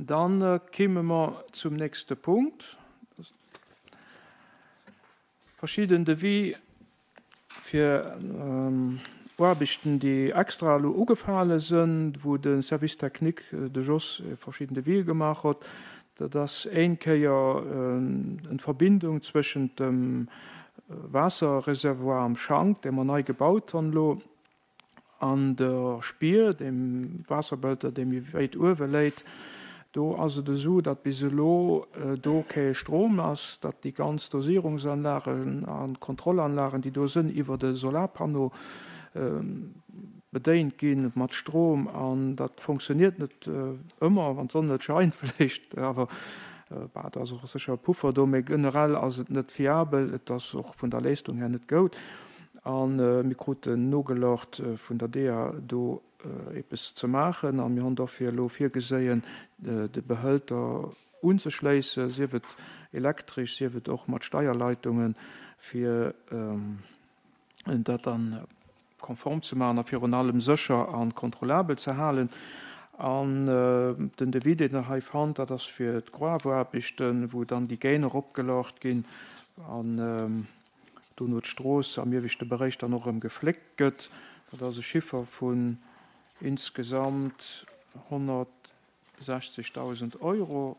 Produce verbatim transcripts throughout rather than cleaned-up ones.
Dann kéime mer zum nächste Punkt. Verschidden Devis fir Aarbechten, déi extra elo ugefale sënn, wou de Service technique, de Jos, verschidden Devisë gemaach huet. Dat ass éin Kéier en Verbindung zwëschent dem Waasserreservoir am Schank, dee mer nei gebaut hunn elo, an der Spier, deem Waasserbehälter, dee méi wéit uewe léit. Do ass et esou, datt bis elo do kee Strom ass, datt déi ganz Dosierungsanlagen a Kontrollanlagen, déi do sënn, iwwert e Solarpanneau bedéint gi mat Strom. An dat fonctionniert net ëmmer, wann d'Sonn net scheint vläicht, awer bah, do ass och sécher e Puffer do, mee generell ass et net fiabel, et ass och vun der Leistung her net goud. A mir kruten nogelort vun der D E A do eppes ze maachen a mir hunn dofir elo virgeséien, de Behëlter unzeschléissen, sief et elektresch, sief et och mat Steierleitungen, fir dat dann konform ze maachen a virun allem sécher a kontrollabel ze halen. An den Devis, deen Der hei fannt, dat ass fir d'Gruewaarbechten, wou dann déi Gainer opgelort ginn an dono d'Strooss am ieweschte Beréich dann och erëm gefléckt gëtt. Dat ass e Chiffer vun insgesamt honnertsechzegdausend Euro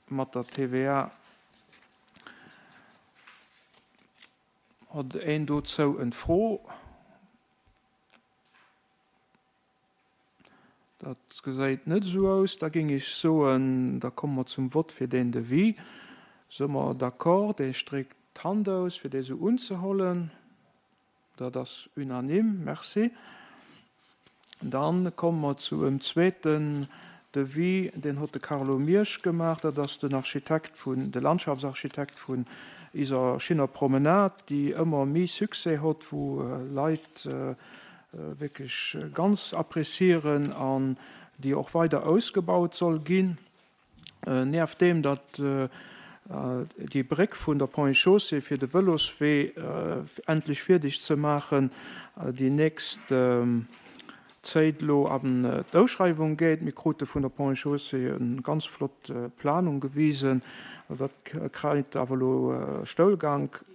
mat der T V A. Huet een dozou eng Fro? Dat gesäit net esou aus. Da géing ech soen, da komme mer zum Vott fir deen Devis. Si mer d'accord? Dee stréckt d'Hand aus, fir dee sou unzehollen. Dat ass unanime. Merci. Dann komme mer zu em zweeten Devis, deen huet de Carlo Miersch gemaach. Dat ass den Architekt vun, de Landschaftsarchitekt vun iser schinner Promenade, déi ëmmer méi Succès huet, wou Leit wierklech ganz apprécieren an déi och weider ausgebaut soll ginn. Nieft deem, datt déi Bréck vun der Ponts et Chaussées fir de Vëloswee endlech fierdeg ze maachen, déi nächst Zéit elo an d'Ausschreiwung geet. Mir krute vun der Ponts et Chaussées eng ganz flott Planung gewisen. Dat kréit awer elo Stoulgank.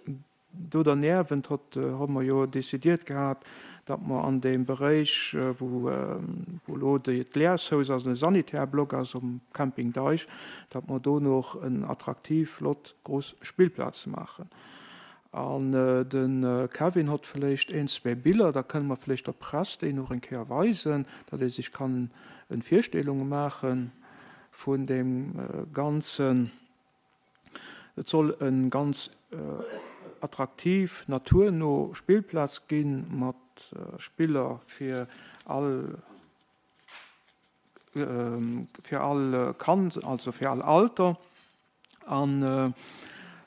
Do derniewent hott hu mer jo décidiert gehat, datt mer an deem Beréich, wou wou elo d'Leershaus ass, de Sanitärblock ass um Camping Deich, datt mer do nach en attraktiv, flott, grouss Spillplaz maachen. An de Kevin hott vläicht een, zwee Biller, da kënne mer vläicht der Press déi nach eng Kéier weisen, datt ee sech kann eng Virstellung maache vun deem Ganzen. Et soll en ganz attraktiv, naturno Spillplaz ginn, mat Spiller fir all fir all Kand, also fir all Alter. An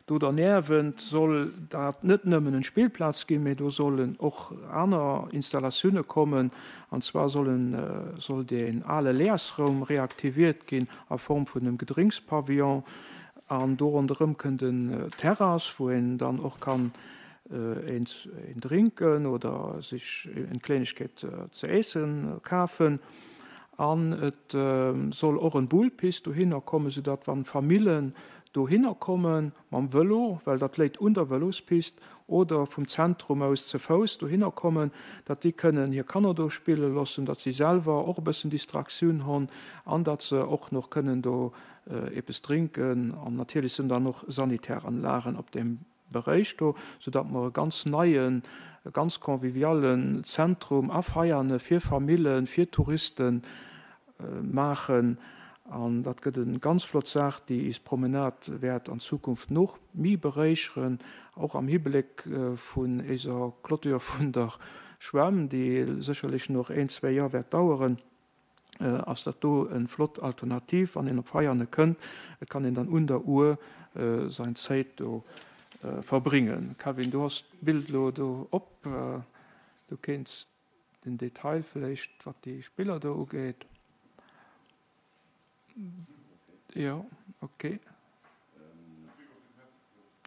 do derniewent soll dat net nëmmen en Spillplaz ginn, mee do sollen och aner Installatioune kommen. An zwar sollen soll deen ale Leersraum reaktiviert ginn a Form vun engem Gedrinkspavillon. An do ronderëm kënnt en Terrass, wou een dann och kann een een drinken oder sech eng Klengegkeet ze iessen kafen. An et soll och en Boulespist dohinner kommen, soudatt wann Famillen dohinner kommen mam Vëlo, well dat léit un der Vëlospist, oder vum Zentrum aus ze Fouss dohinner kommen, datt déi kënnen hir Kanner do spille loossen, datt si selwer och e bëssen Distraktioun hunn an datt se och nach kënnen do eppes drinken. An natierlech sinn dann och Sanitäranlagen op deem Beréich do, soudatt mer e ganz neien, e ganz convivialen Zentrum a Veiane fir Famillen, fir Touriste maachen. An dat gëtt eng ganz flott Saach, déi is Promenade wäert an Zukunft nach méi beréicheren, och am Hibléck vun eiser Clôture vun der Schwämm, déi sécherlech nach een, zwee Joer wäert daueren, ass dat do eng flott Alternativ, wann een op Veiane kënnt. Et kann een dann un der Our säin Zäit do verbréngen. Kevin, du hues d'Bild elo do op, du kéints den Detail vläicht, wat déi Spiller do ugeet. Jo, okay.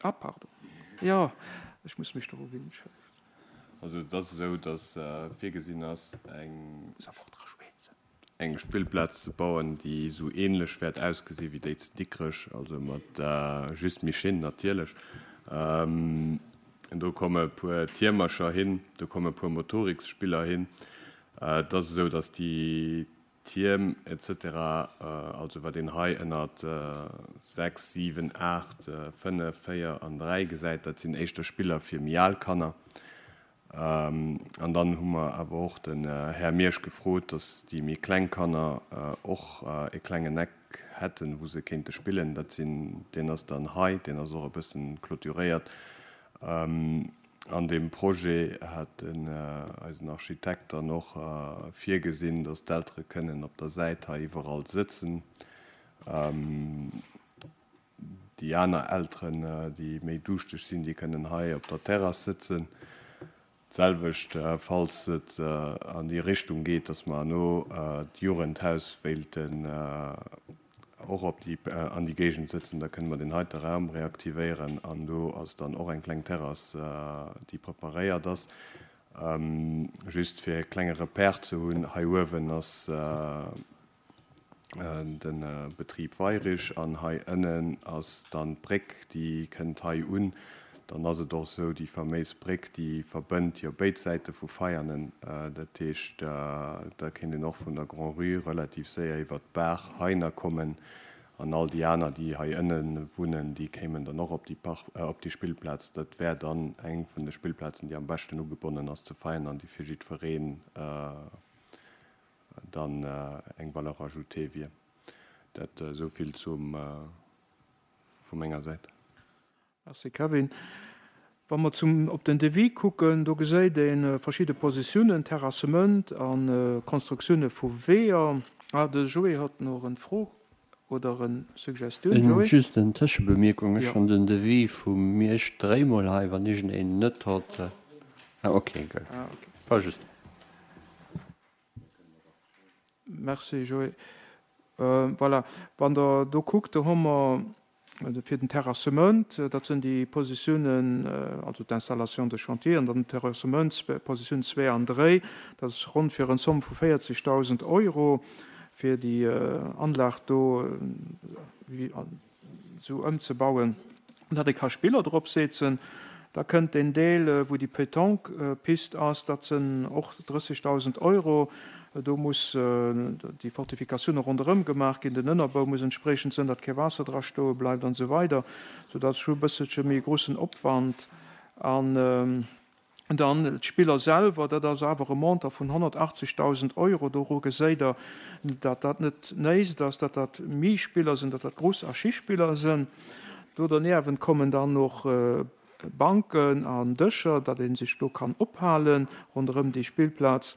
Ah, pardon. Jo, ech muss mech doru winnen. Also et ass esou, datt virgesinn ass eng Muss awer och dra schwätzen. eng Spillplaz ze bauen, déi esou ähnlech wäert ausgesi wéi déi zu Dikrech, also mat just méi schéin natierlech. Do komme e puer Tiermercher hin, do komme e puer Motoriksspiller hin. Et ass esou, datt déi Tierm et cetera, also wat een hei ënnert sechs, siwen, aacht, fënnef, véier an dräi gesäit, dat sinn éischter Spiller fir méi al Kanner. An dann hu mer awer och den Här Miersch gefrot, datt déi méi kleng Kanner och e klengen Eck hätten, wou se kéinte spillen. Dat sinn, deen ass dann hei, deen ass och e bëssen clôturéiert. An deem Projet hat den eisen Architekt dann och virgesinn, datt d'Eltere kënnen op der Säit hei iwwerall sëtzen. Déi aner Elteren, déi méi duuschteg sinn, déi kënnen hei op der Terrass sëtzen. D'selwecht, falls et an déi Richtung geet, datt mer herno d'Jugendhaus wéilten och op déi, an déi Géigend sëtzen, da kënne mer deen heite Raum reaktivéieren an do ass dann och eng kleng Terrass, déi preparéiert ass. Just fir e klenge Repère ze hunn, hei uewen ass de Betrib Weyrich an hei ënnen ass dann d'Bréck, déi kënnt hei un. Dann ass et och esou, déi faméis Bréck, déi verbënnt jo béid Säite vu Veianen. Dat heescht, da kéint een och vun der Grand-Rue relativ séier iwwert d'Baach heiner kommen. An all déi aner, déi hei ënne wunnen, déi kéimen dann och op déi Park, op déi Spillplaz. Dat wär dann eng vun de Spillplazen, déi am beschten ugebonnen ass zu Veianen an déi fir jiddwereen dann eng Valeur ajoutée wier. Dat esou vill zum, vu menger Säit. Merci Kevin. Wa mer zum, op den Devis kucken, do geséit ee verschidde Positiounen, Terrassement a Konstruktioune vu Weeër. Ah, de Joé hat nach eng Fro oder eng Suggestioun. Joé? Just eng Tëschebemierkung, Ech hunn den Devis vu Miersch dréimol hei, wann iergendeen net hott. Ah, okay, gutt. Ah, okay. War just. Merci Joé. Voilà, wann Der do kuckt, do hu mer fir den Terrassement, dat sinn déi Positiounen, also d'Installation de chantier an dann den Terrassement, Positioun zwee an dréi, dat ass ronn fir eng Somme vu véierzegdausend Euro fir déi Anlag do esou ëmzebauen, datt ee ka Spiller drop setzen. Da kënnt deen Deel, wou déi Pétanque-Piste ass, dat sinn och drëssegdausend Euro. Do muss déi Fortifikatioune ronderëm gemaach ginn, den Ënnerbau muss entspriechend sinn, datt kee Waasser dra stoe bleift an esou weider, soudatt scho e bësselche méi groussen Opwand. An dann d'Spiller selwer, dat ass awer e Montant vun honnertachtzegdausend Euro. Doru geséit Der, datt dat net néist ass, datt dat méi Spiller sinn, datt dat Gruss a Schispiller sinn. Do derniewent kommen dann och Banken an Dëscher, datt ee sech do kann ophalen ronderëm déi Spillplaz.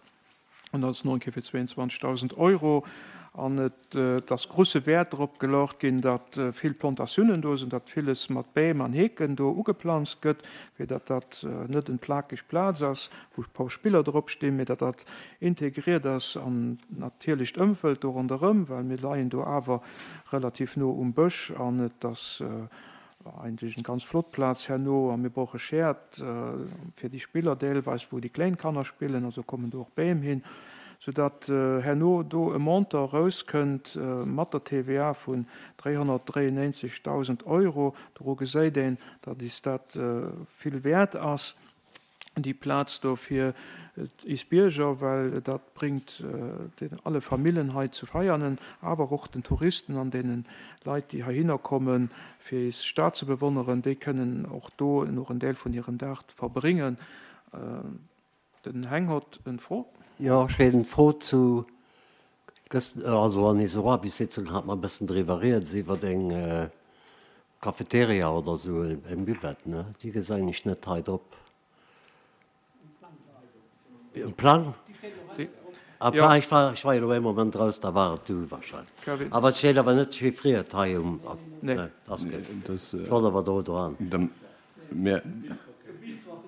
An dat ass nach eng Kéier fir zweeënzwanzegdausend Euro. An et ass grousse Wäert drop geluecht ginn, datt vill Plantatiounen do sinn, datt villes mat Bäm an Heeken do ugeplanzt gëtt, fir datt dat net en plakeg Plaz ass, wou e puer Spiller drop stinn, mee datt dat integriert ass an d'natierlecht Ëmfeld do ronderëm, well mir leien do awer relativ no um Bësch an et ass eigentlech eng ganz flott Plaz herno a mir brauche Schäert fir déi Spiller deelweis, wou déi kléin Kanner spillen, also kommen do och Bäm hin, soudatt herno do e Montant erauskënnt mat der T V A vun dräihonnertdräiennéinzegdausend Euro. Doru geséit een, datt is dat vill wäert ass, déi Plaz do fir is Bierger, well dat bréngt alle Famillen hei zu Veianen, awer och den Touristen an deene Leit, déi heihinner kommen, fir is Stad ze bewonneren, déi kënnen och do nach en Deel vun hirem Dag verbréngen. Den Heng hott en Fro. Jo, ech hat eng Fro zu gëscht, also an eiser Aarbechtssitzung hat mer e bëssen driwwer rieds, iwwer eng Cafeteria oder sou, eng Buvette, ne? Déi gesäin ech net hei drop. Um Plang? Ah, Ja. ech war, ech war jo elo ee Moment raus, da war et du wahrscheinlech. Kevin. Awer et steet awer net chiffriert hei um, Nee. nee, ass gutt. Das, Ech wollt awer do dran. Dem, mir,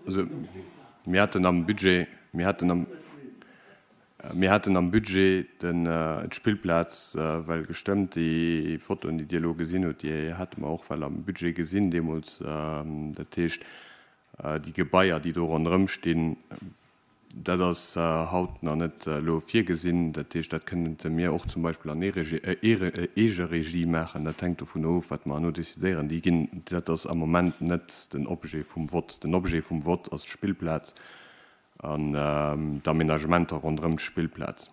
also, mir haten am Budget, mir haten am, mir haten am Budget den d'Spillplaz well gestëmmt. Déi Fotoen, déi Dir elo gesinn hutt, déi hate mer och well am Budget gesinn deemools. Dat heescht, déi Gebaier, déi do ronderëm stinn, Dat ass haut nach net elo virgesinn. Dat heescht, dat kënnte mir och zum Beispill an Eegeregie maachen. Dat hänkt dovun of, wat mer herno decidéieren. Déi ginn, dat ass am Moment net den Objet vum Vott. Den Objet vum Vott ass d'Spillplaz an d'Aménagementer ronderëm d'Spillplaz.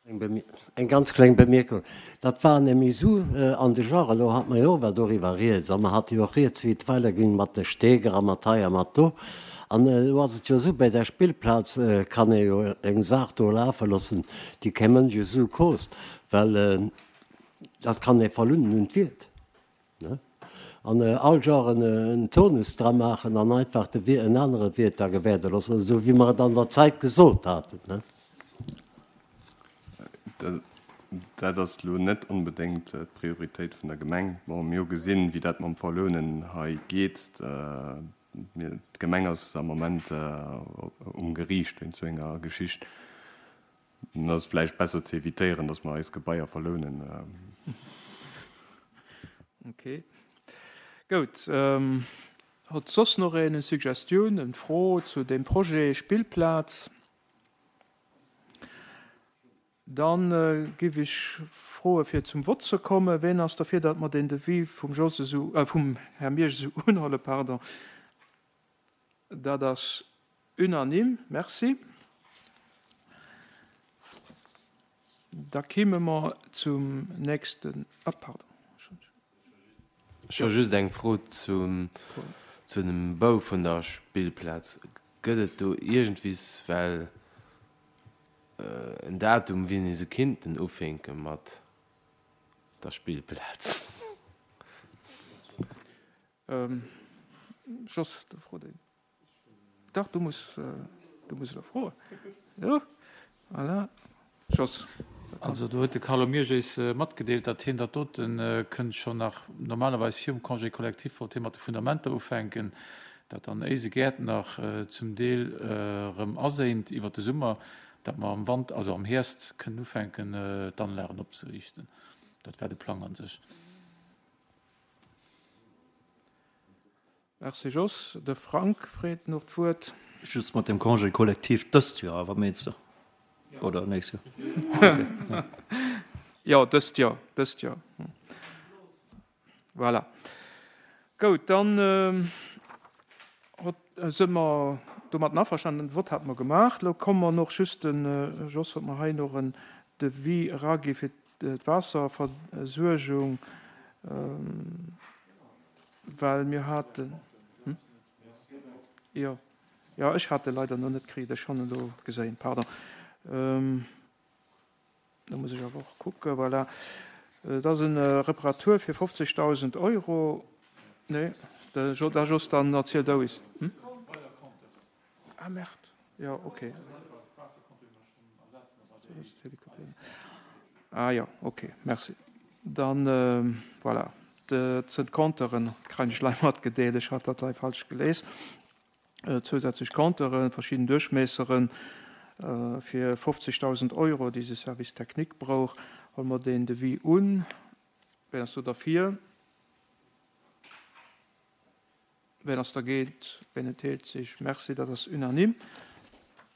Eng ganz kleng Bemierkung, Dat war nämlech esou an de Genre, elo hate mer jo och well doriwwer rieds, a mer hate jo och rieds, wéi et weiderging mat de Steger a mat hei a mat do. An elo ass et jo esou, bei där Spillplaz kann ee jo eng Saach do lafe loossen, déi kee Mënsch esou koost, well dat kann ee verlunnen un d'Wiert. An all Genre en Turnus dra maachen an einfach de Wiert en anere Wiert da gewäerde loossen, esou wéi mer et an der Zäit gesot haten. Dat ass elo net onbedéngt d'Prioritéit vun der Gemeng. Bon, mir hu gesinn, wéi dat mam Verlounen hei geet. D'Gemeng ass am Moment um Geriicht wéinst esou enger Geschicht. Dann ass et vläicht besser ze evitéieren, datt mer eis Gebaier verlounen. Ok. Goud. Hott soss noch een eng Suggestioun, eng Fro zu deem Projet Spillplaz? Dann giff ech froe fir zum Vott ze kommen. Ween ass derfir, datt mer deen Devis vum Jos esou, äh, vum Här Miersch esou unhuelen, pardon? Dat ass unanime. Merci. Da kimme mer zum nächsten, ah, pardon. Ech hu just eng Fro zum, zu dem Bau vun der Spillplaz. Gëtt et do iergendwiss well en Datum, wéini se kinnten ufänke mat der Spillplaz? Jos, do frot een. Dach, du muss, du muss elo froen. Jo, voilà. Jos. Also do huet de Carlo Miersch eis matgedeelt, datt hien dat dote kënnt schonn nach normalerweis virum Congé collectif wollt hie mat de Fundamenter ufänken, dat dann éise Gäert nach zum Deel erëm aséint iwwert de Summer, datt mer am Wand, also am Hierst kënnen ufänken d'Anlagen opzeriichten. Dat war de Plang an sech. Merci Jos. De Frank freet nach d'Wuert. Just mat dem Congé collectif dëst Joer awer, meengs de? Oder nächst Joer? Okay. Jo, dëst Joer, dëst Joer. Voilà. Goud, dann si mer domatten averstanen. Den Vott hate mer gemaach. Elo komme mer noch just, den Jos huet mer hei noch en Devis eragi fir d'Waasserversuergung, well mir haten, jo, jo, ech hat e leider nach net kritt, ech han en elo geséin, pardon. Do muss ech awer och kucken, voilà. Et ass e Reparatur fir fofzegdausend Euro. Nee, da Jos, dann erziel du is. Ah, merde. Jo, okay. Ah jo, okay, merci. Dann, voilà, dat sënn d'Compteuren, kréien ech lei matgedeelt, ech hat dat lei falsch gelies. Zousätzlech Compteuren, verschidden Duerchmiesseren fir fofzegdausend Euro, déi de Service technique brauch. Huele mer deen Devis un. Ween ass do derfir? Ween ass dergéint? Ween enthält sech? Merci, dat ass unanime.